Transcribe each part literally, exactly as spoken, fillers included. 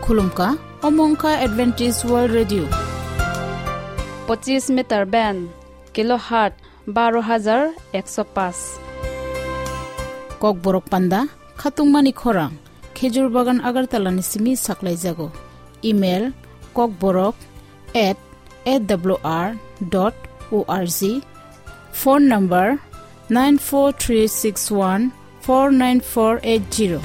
Khulumkha, omo wngkha Adventist World Radio. Pochis meter band, kilohertz baro hajar ekso paanch. Kokborok panda, khatungmani khorang, Khejur Bagan Agartala ni simi saklaijago. Email, kokborok at A W R dot O R G. Phone number, nine four three six one four nine four eight zero.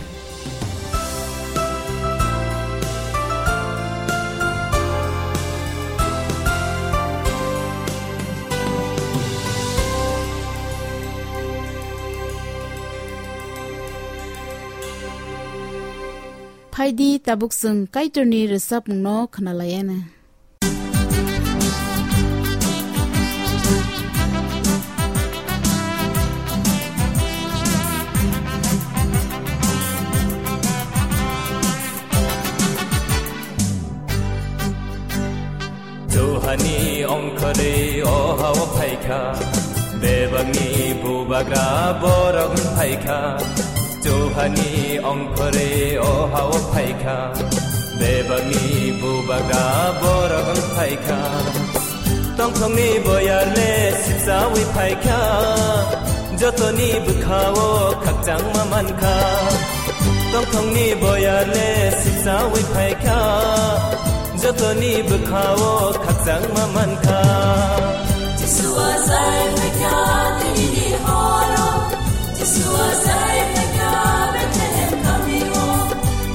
Phaidi, tabuk chwng Kaitorni rwchapmungno khwnalaiyana. Johani ongkhorwi o hao phaikha, bebakni bubagra borok phaikha. Johani ongkhorwi o hao phaikha, bebakni bubagra borok phaikha. Tongthokni boyarle sipsawi phaikha, jotoni bwkhao khakchangma mankha. Tongthokni boyarle sipsawi phaikha, jotoni bwkhao khakchangma mankha. Jisua sai phaikha, tinini horo. Jisua sai phaikha, Bethlehem kamio.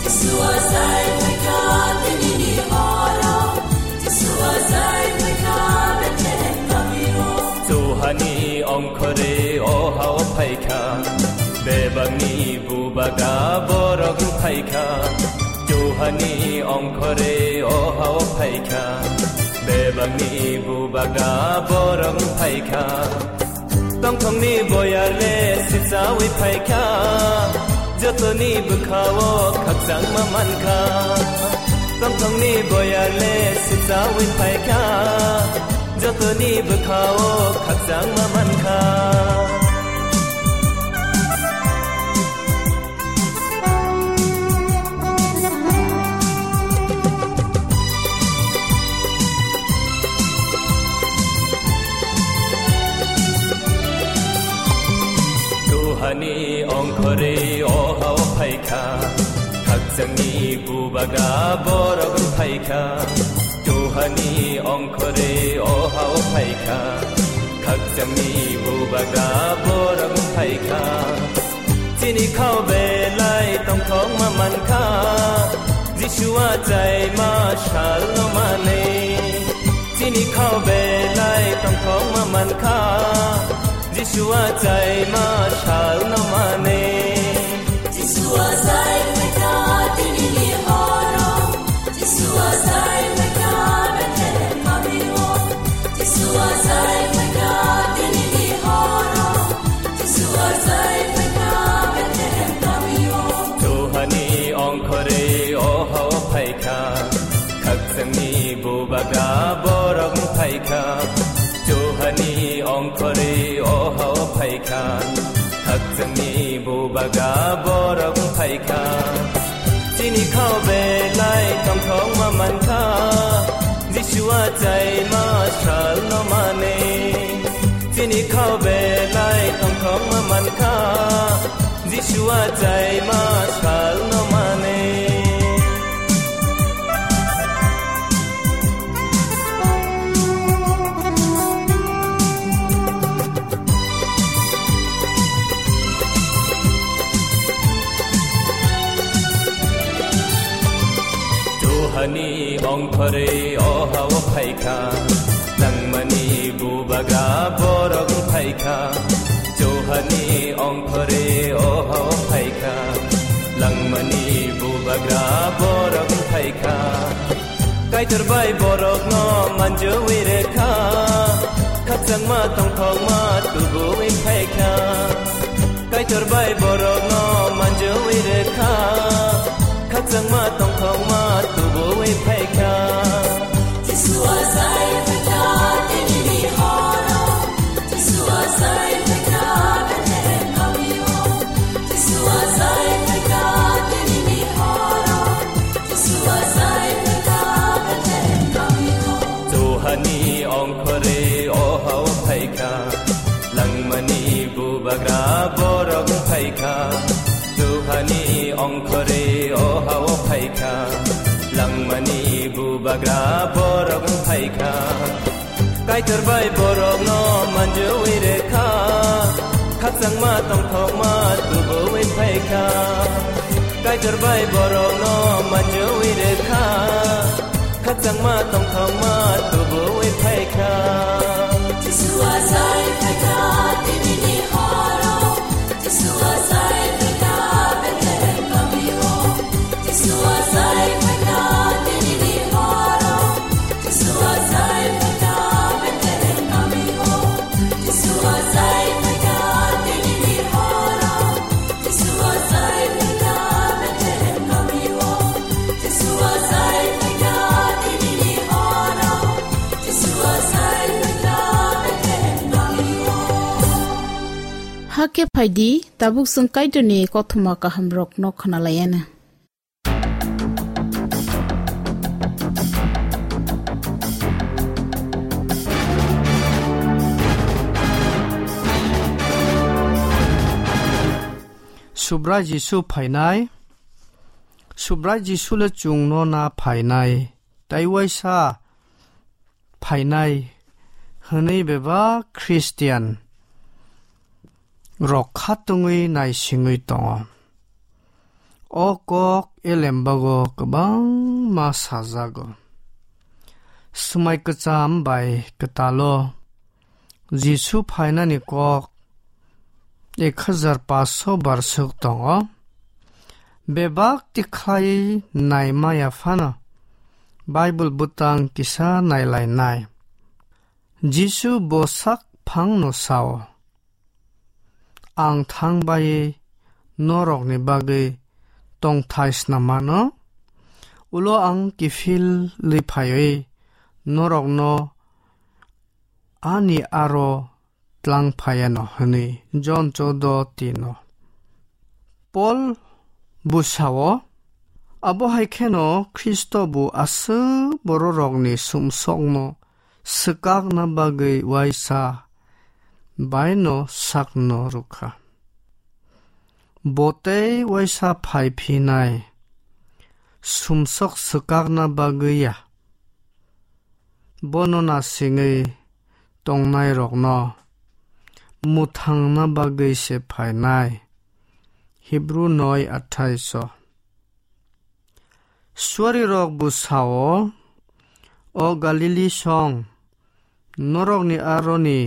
Jisua sai phaikha, tinini horo. Jisua sai phaikha, Bethlehem kamio. Johani ongkhorwi o hao phaikha, bebakni bubagra borok phaikha. Johani ongkhorwi o hao phaikha, bebakni bubagra borok phaikha. Tongthokni boyarle sipsawi phaikha, jotoni bwkhao khakchangma mankha. Tongthokni boyarle sipsawi phaikha, jotoni bwkhao khakchangma mankha. Johani ongkhorwi o hao phaikha, khakchangni bubagra borok phaikha. Johani ongkhorwi o hao phaikha, khakchangni bubagra borok phaikha. Chini khao belai tongthokma mankha, Jisua chaima salno manwi. Chini khao belai tongthokma mankha, Jisua chaima salno manwi. Jisua sai phaikha tinini horo. Jisua sai phaikha Bethlehem kamio. Jisua sai phaikha tinini horo. Jisua sai phaikha Bethlehem kamio. Johani ongkhorwi o hao phaikha, khakchangni bubagra borok phaikha. Johani ongkhorwi o hao phaikha, khakchangni bubagra borok phaikha. Chini khao belai tongthokma mankha, Jisua chaima salno manwi. Chini khao belai tongthokma mankha, Jisua chaima salno manwi. Johani ongkhorwi o hao phaikha, langmani bubagra borok phaikha. Johani ongkhorwi o hao phaikha, langmani bubagra borok phaikha. Kaitor bai borokno manjui rekha, khakchangma tongthokma tubuwi phaikha. Kaitor bai borokno manjui rekha, khakchangma tongthokma tubuwi phaikha. Jisua sai phaikha tinini horo. Jisua sai phaikha Bethlehem kamio. Jisua sai phaikha tinini horo. Jisua sai Ongkhorwi o ha-o phaikha, langmani bubagra borok wng phaikha. Kaitor bai borokno manjui rwkha, khakchangma tongthokma tubuwi phaikha. Kaitor bai borokno manjui rwkha, khakchangma tongthokma tubuwi phaikha. Jisua sai phaikha, tinini horo. Jisua sai phaikha, Bethlehem kamio. Jisua sai phaikha, tinini horo. Jisua sai phaikha, Bethlehem kamio. Jisua sai phaikha, tinini horo. Hakhe phaidi, tabuk chwng Kaitorni kothoma kahamrokno khwnalaianw. Subrai Jisu phainai. Subrai Jisu le chwngno na phainai, tei waisa phainai hwnwi bebak Khristian rok khatungwi naisingwi tongo. O kok elembago kwbangma sajago. Swmai kwcham bai kwtalo Jisu phainani kok ek hajar paanch sho bar swk tongo. Bebak tikhlai naimaya phano Bible bwtang kisa nailainai. Jisu bo sak phangno sao, "Ang thang bai norokni bagwi tongthai snam mano, ulo ang kiphilwi phaiwi norokno ani aro tlang phaiano," hwnwi Jon choudo tino. Pol bo sao, abo hai kheno Khristo bo aswk bororokni sumsokno swkakna bagwi uaisa baino sakno rwkha. Bo tei uaisa phai phinai, sumsok swkakna bagwi ya. Bono nasingwi tongnairokno mwthangna bagwi se phainai. Hibru noi athaiso. Suarirok bo sao, "O Galili song, norokni aroni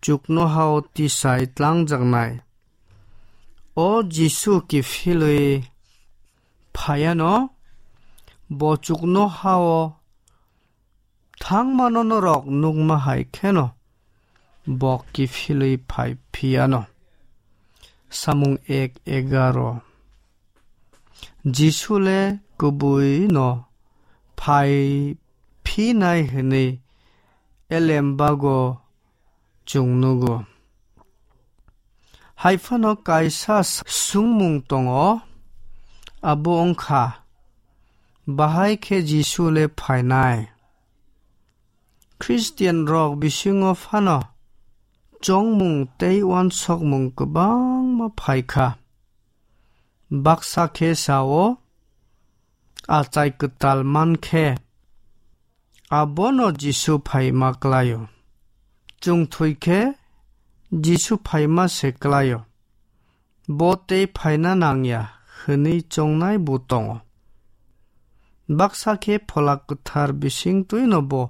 chuknohao tisai tlangjaknai, o Jisu kiphilwi phaiano, bo chuknohao thangmano norok nukma hai kheno bo kiphilwi phai phiyano." Samung ek egaro. Jisu le kubui no phai phinai hwnwi elembago chwng nugo. Haiphano kaisa sungmung tongo, abo wngkha, bahai khe Jisu le phainai? Khristian rok bisingo phano chongmung tei uansukmung kwbangma phaikha. Baksa khe sao, achai kwtal man khe, abono Jisu phaima klaio. Chwng thwi khe Jisu phaima se klaio. Bo tei phaina nangya hwnwi chongnai bo tongo. Baksa khe Phola Kwthar bisingtwino bo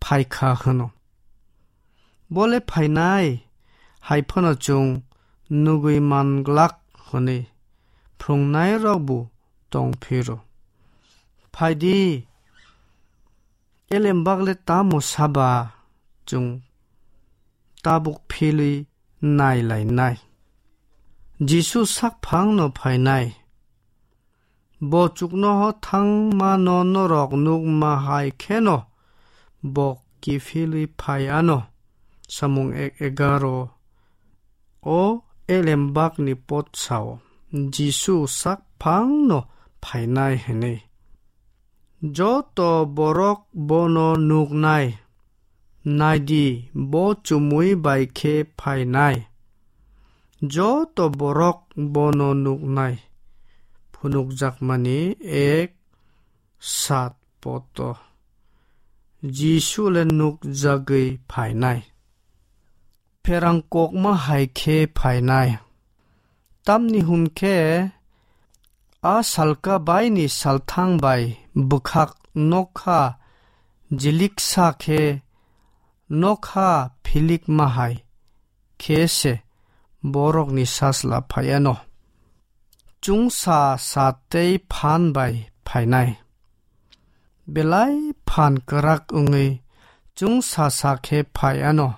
phaikha hwno. Bo le phainai, hai phano chwng nugwi man glak hwnwi phrwngnairok bo tong phiro. Phaidi, elembak le tamo saba chwng tabuk philwi nai lainai. Jisu sakphangno phainai. Bo chuknoho thangmano norok nukma hai kheno bo kiphilwi phai ano. Samung ek egaro. O elembakni pot sao, Jisu sakphangno phainai hwnwi. Joto borok bono nuknai. Naidi, bo chumui bai khe phainai. Joto borok bono nuknai. phunukjakmani ek sat poto Jisu le nukjagwi phainai. Pherang kokma hai khe phainai. Tamni hwn khe a salka baini salthang bai bwkhak nokha jiliksa khe nokha philikma hai khe se borokni sasla phaiano. Chwngsa sa tei phan bai phainai. Belai phan kwrak wngwi chwngsa sa khe phaiano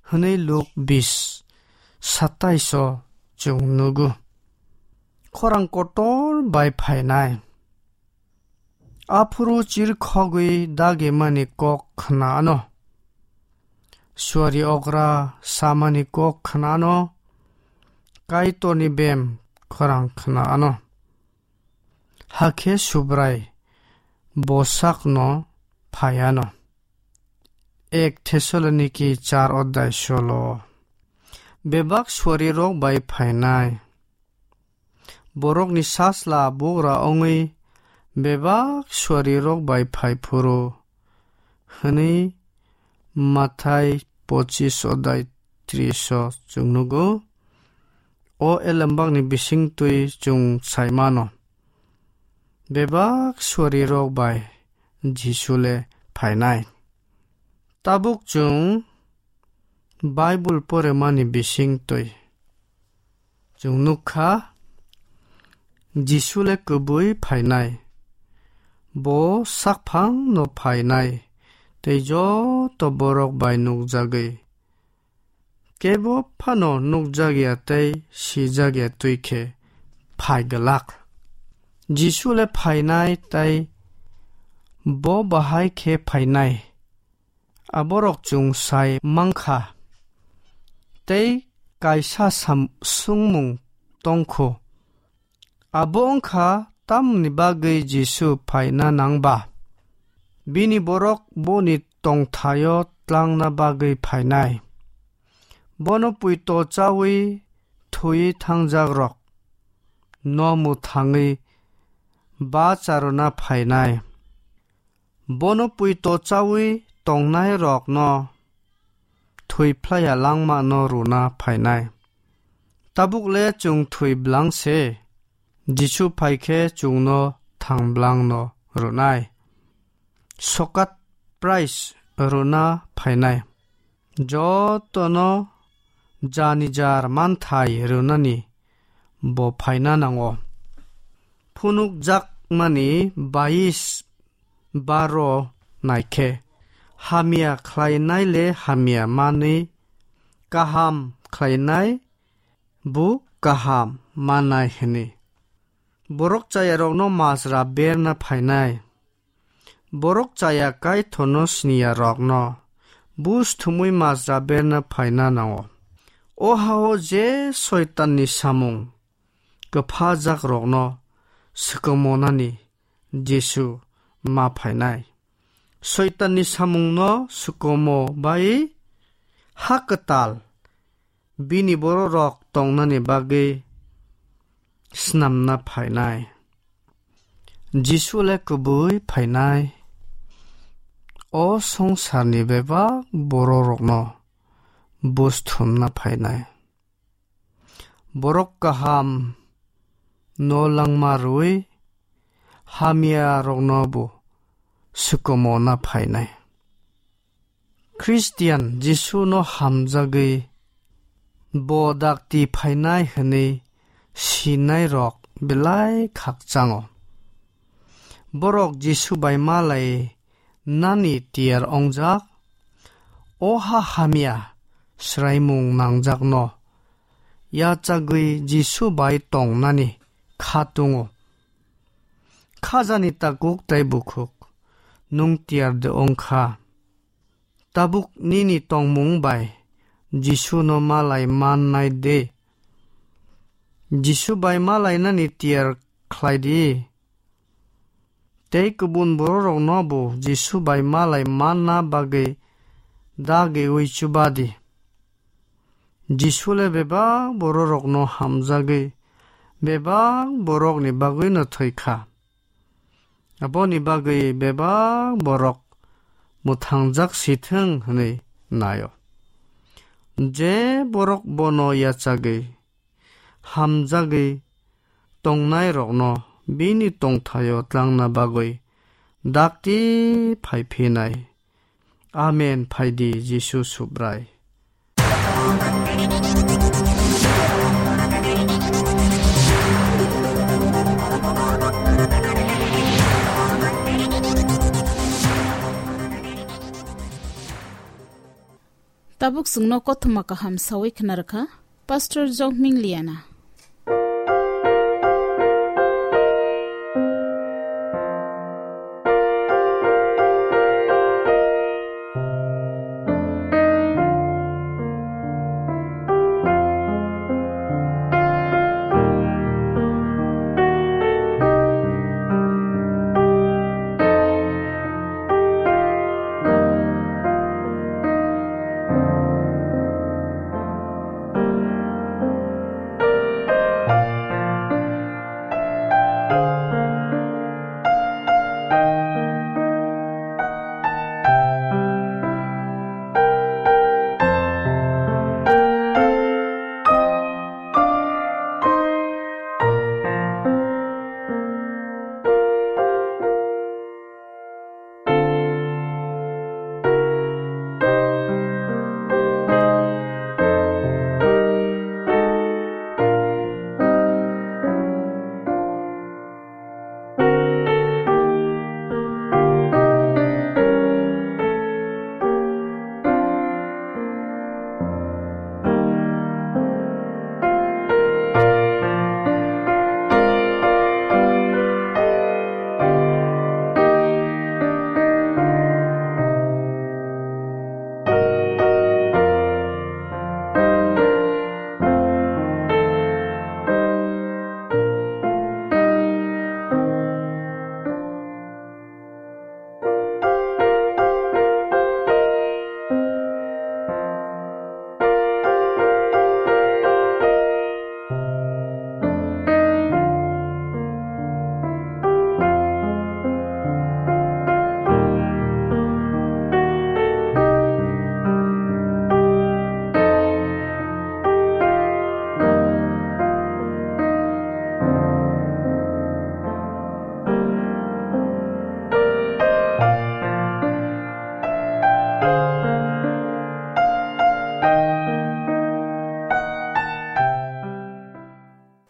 hwnwi Luk bis satais o chwng nugo. Khorang kotor bai phainai. Aphuru chirkhogwi dagimani kok khna ano. Suari okra samani kok khna ano. Kaitorni bem khorang khna ano. Hakhe Subrai bosakno phai ano. Ek Thessaloniki char odai solo. Bebak suarirok bai phainai. Borokni sasla bugra wngwi bebak suarirok bai phai phuru hwnwi Mathai pochis odai tris o chwng nugo. O elembakni bisingtwi chwng sai mano. Bebak suarirok bai Jisu le phainai. Tabuk chwng Bible poremani bisingtwi chwng nukha, Jisu le kwbwi phainai. Bo sakphangno phainai tei joto borok bai nukjagwi. Kebo phano nukjakya tei sijakya twi khe phai glak. Jisu le phainai tei bo bahai khe phainai. Aborok chwng sai mankha. Tei kaisa sam-, swngmung tongkhu. Abo wngkha tamni bagwi Jisu phaina nangba? Bini borok boni tongthaio tlangna bagwi phainai. Bono puito chawi thwi thangjakrok no mwthangwi bacharwna phainai. Bono puito chawi tongnairokno thwi phlaiya langmano rwna phainai. Tabuk le chwng thwi blang se, Jisu phai khe chwngno thang blangno rwnai. Sokat price rwna phainai. Jotono jani jar manthai rwnani bo phaina nango. Phunukjakmani bais baro naikhe, hamya khlainai le hamya manwi, kaham khlainai bo kaham manai hwnwi. Borok chayarokno majra berna phainai. Borok chaya Kaitorno siniyarokno bus thumwi majra berna phaina nango. O hao je Soitanni samung kwphajakrokno swkangmonani Jisu ma phainai. Soitanni samungno swkangmo bai ha kwtal bini bororok tongnani bagwi snamna phainai. Jisu le kwbwi phainai, o songsarni bebak bororokno bus thumna phainai. Borok kaham no langma rwui hamya rokno bo swkangmo na phainai. Christian Jisu no hamjagwi bo dakti phainai hwnwi sinai rok belai khakchango. Borok Jisu bai malai nani tiyar ongjak, o ha hamya swraimung nangjakno yachagwi Jisu bai tongnani kha tongo. Khajani takuk tei bukhuk, nwng tiyar de ongkha. Tabuk nini tongmung bai Jisu no malai mannai de. Jisu bai malainani tiyar khlai di. Tei kubun bororokno bo Jisu bai malai manna bagwi dagiui chuba di. Jisu le bebak bororokno hamjagwi bebak borokni bagwino thwi kha. Aboni bagwi bebak borok mwthangjak sithwng hwnwi naio. Je borok bono yachagwi, hamjagwi tongnairokno bini tongthaio tlangna bagwi dakti phai phinai. Amen, phaidi Jisu Subrai. Tabuk chwngno kothoma kaham sawi khna rwkha Pastor Jokming Liana.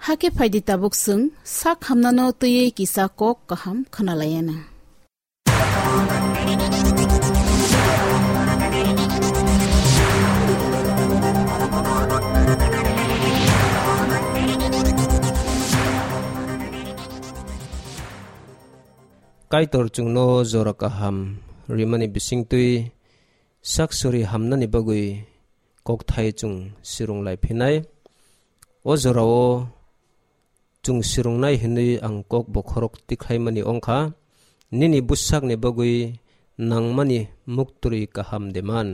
Hakhe phaidi tabuk chwng sak hamnano twiwi kisa kok kaham khwnalaiyana. Kaitor chwngno jora kaham rimani bisingtwi sak sori hamnani bagwi kokthai chwng sirung lai phinai. O jorao chwng sirungnai hinwi ang kok bokhorok tikhlaimani wngkha, "Nini bwsakni bagwi nangmani muktwi kaham de man,"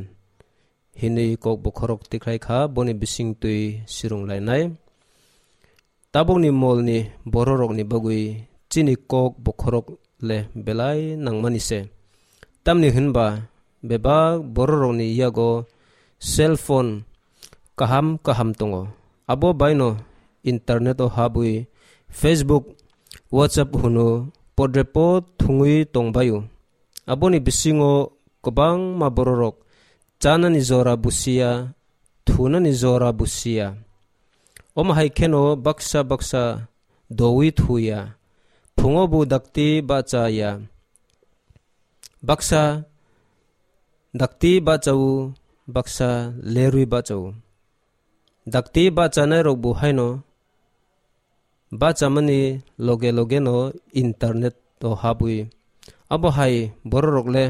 hinwi kok bokhorok tikhlai kha, boni bisingtwi sirung lainai. Tabukni molni bororokni bagwi chini kok bokhorok le belai nangmani se. Tamni hwnba bebak bororokni yago cell phone kaham kaham tongo. Abo baino internet o habwi Facebook, WhatsApp hwno podrepo thwngwi tongbaio. Aboni bisingo kwbangma bororok chanani jora busiya, thunani jora busiya. Omo hai kheno baksa baksa dowi thuya, phungo bo dakti bacha ya. Baksa dakti bachao, baksa lerwi bachao. Dakti bachanairok bo haino bachamani loge loge no internet o habwi. Abo hai bororok le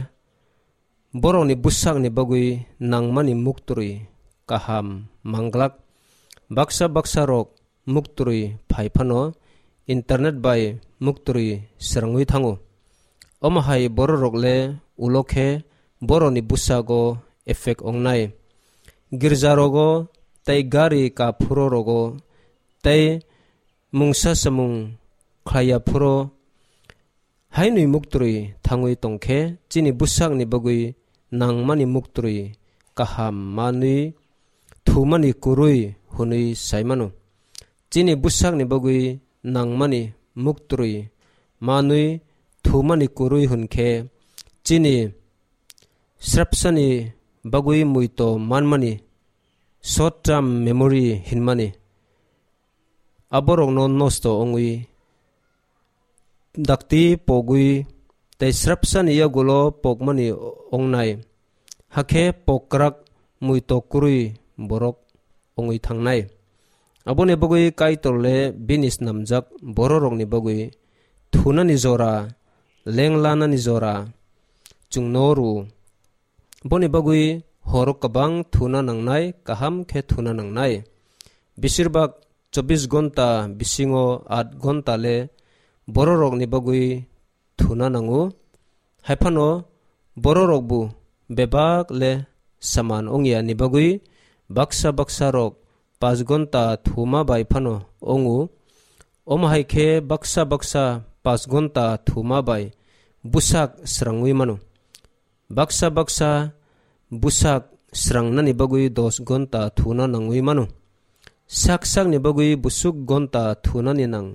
borokni bwsakni bagwi nangmani muktwi kaham manglak. Baksa baksa rok muktwi phai phano internet bai muktwi srangwi thango. Omo hai bororok le ulo khe borokni bwsago effect wngnai. Girjarogo tei gari kaphuro rogo tei Mungsa samung khlaiya phuru hainwi muktrwi thangwi tongkhe chini bwsakni bagwi nangmani muktrwi kaham manwi thumani kwrwi hwnwi saimano. Chini bwsakni bagwi nangmani muktrwi manwi thumani kwrwi hwnkhe chini srapsani bagwi muito manmani short term memory hinmani aborokno nosto wngwi dakti pogwi tei srapsani yagulo pokmani ongnai, hakhe pokrak muito kwrwi borok wngwi thangnai. Aboni bagwi Kaitorle bini snamjak bororokni bagwi thunani jora, lenglanani jora chwngno rw. Boni bagwi horo kwbang thuna nangnai, kaham khe thuna nangnai. Besirbak chobbish gonta bisingo aat gonta le bororokni bagwi thuna nango. Haiphano bororokbo bebak le saman ongya ni bagwi baksa baksa rok paanch gonta thuma bai phano ongo. Omo hai khe baksa baksa paanch gonta thuma bai bwsak srangwi mano. Baksa baksa bwsak srangnani bagwi dos gonta thuna nangwi mano. Sak sakni bagwi bwswk gonta thunani nang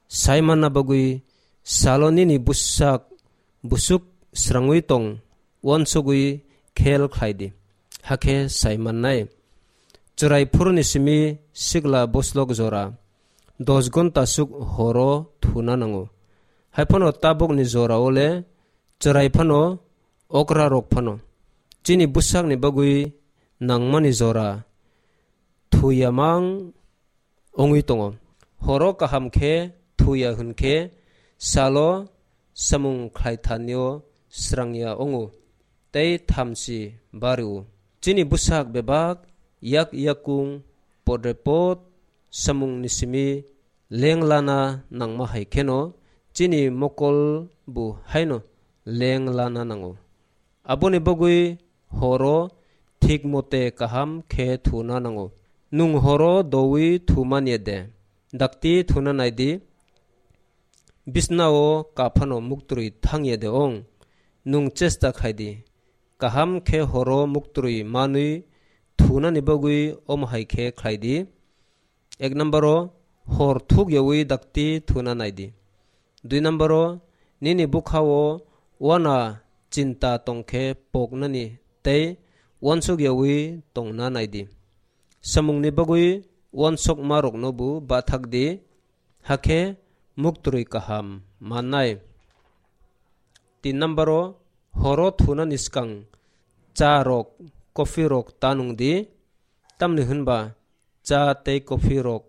sai manna bagwi salo nini bwsak bwswk srangwi tong uansugwi khel khlai di, hakhe sai mannai. Chwrai phuruni simi sikla boslok jora dos gonta swk horo thuna nango. Haiphano tabukni jorao le chwrai phano, okra rok phano chini bwsakni bagwi nangmani jora thuya mang wngwi tongo. Horo kaham khe thuya hwn khe salo samung khlai thanio srangya wngo tei thamchi bario. Chini bwsak bebak yak yakung podrepot samungni simi lenglana nangma hai kheno chini mokol bo haino lenglana nango. Aboni bagwi horo thik mote kaham khe thuna nango. Nwng horo dowi thumani de, dakti thuna naidi, bisnao kaphano muktrwi thangya de ong. Nwng chesta khaidi, kaham khe horo muktrwi manwi thunani bagwi omo hai khe khlaidi. Ek number o hor thuk yawi dakti thuna naidi. Dui number o nini bwkha o wana chinta tongkhe poknani tei uansuk yawi tongna naidi. Samungni bagwi uansukma rokno bo bathak di, hakhe muktrwi kaham mannai. Tin number o horo thunani swkang cha rok, coffee rok ta nung di, tamni hwnba cha tei coffee rok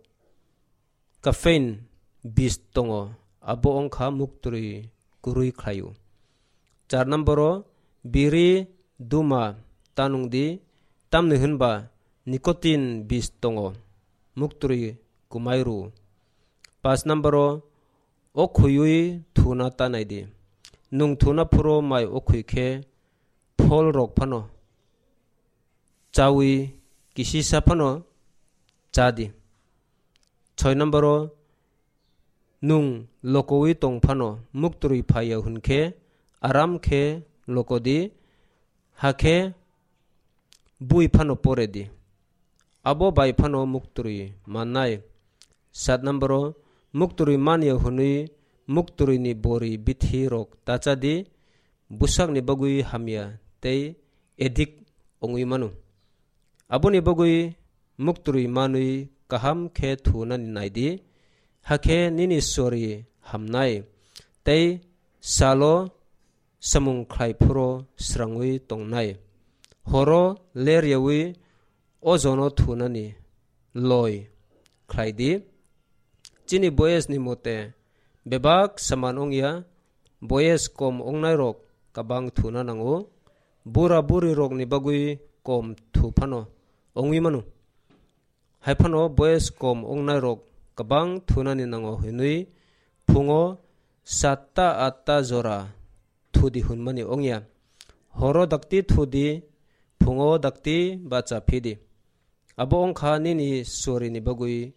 caffeine bis tongo, abo wngkha muktrwi kwrwi khlaio. Char number o biri duma ta nung di, tamni hwnba nicotine bis tongo, muktrwi kwmai rw. Pas number o okhuywi thuna ta nai di. Nwng thuna phuru mai okhwi khe phol rok phano chawi kisisa phano cha di. Soi number o nwng lokowi tong phano muktrwi phaiya hwn khe aram khe loko di, hakhe bui phano pore di. Abo bai phano muktrwi mannai. Sat number o muktrwi manya hwnwi muktrwini bori bithi rok ta cha di, bwsakni bagwi hamya tei edik wngwi mano. Aboni bagwi muktrwi manwi kaham khe thunani nai di, hakhe nini sori hamnai tei salo samung khlai phuru srangwi tongnai. Horo ler yawi o jono thunani loi khlai di. Chini boyes ni mote bebak saman wngya, boyes kom wngnai rok kabang thuna nango, bura buri rok ni bagwi kom thu phano wngwi mano. Hai phano boyes kom wngnai rok kabang thunani nango hwnwi phungo satta atta jora thudi hwnmani wngya. Horo dakti thudi, phungo dakti bacha phidi. Abo wngkha nini sorini bagwi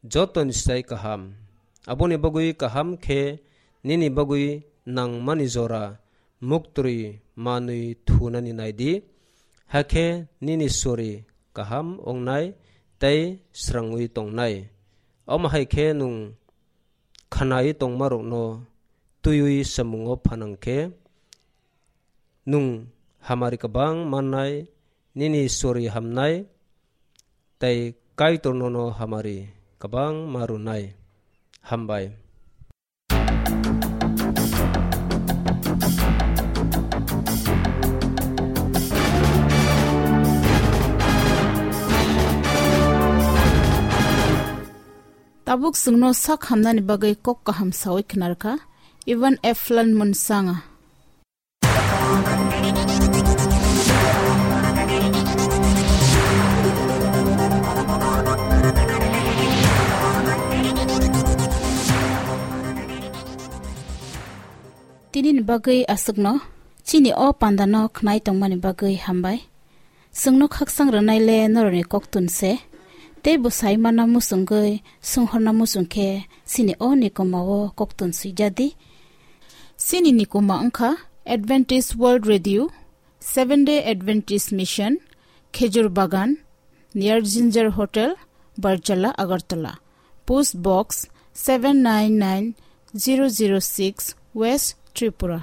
jotoni sai kaham. Aboni bagwi kaham khe nini bagwi nangmani jora muktwi manwi thunani naidi, hakhe nini sori kaham wngnai tei srangwi tongnai. Omo hai khe nwng khanai tongmarokno twiwi samungo phanang khe, nwng hamari kwbang mannai, nini sori hamnai, tei Kaitor nono hamari kwbang ma rwnai. Hambai. Tabuk chwngno sak hamnani bagwi kok kaham sawi khwnarkha Ivan Eflon Munsanga. Tinini bagwi aswkno chini o pandano khwnai tongmani bagwi hambai. Chwngno khaksang rwnai le norokni koktun se, tei bwsai mana muchungwi swnghorna muchung khe chini o nikoma o koktun swijadi. Chini nikoma wngkha Adventist World Radio, Seventh Day Adventist Mission, Khejur Bagan, near Ginger Hotel, Barjala, Agartala. Post Box seven nine nine zero zero six, West Tripura.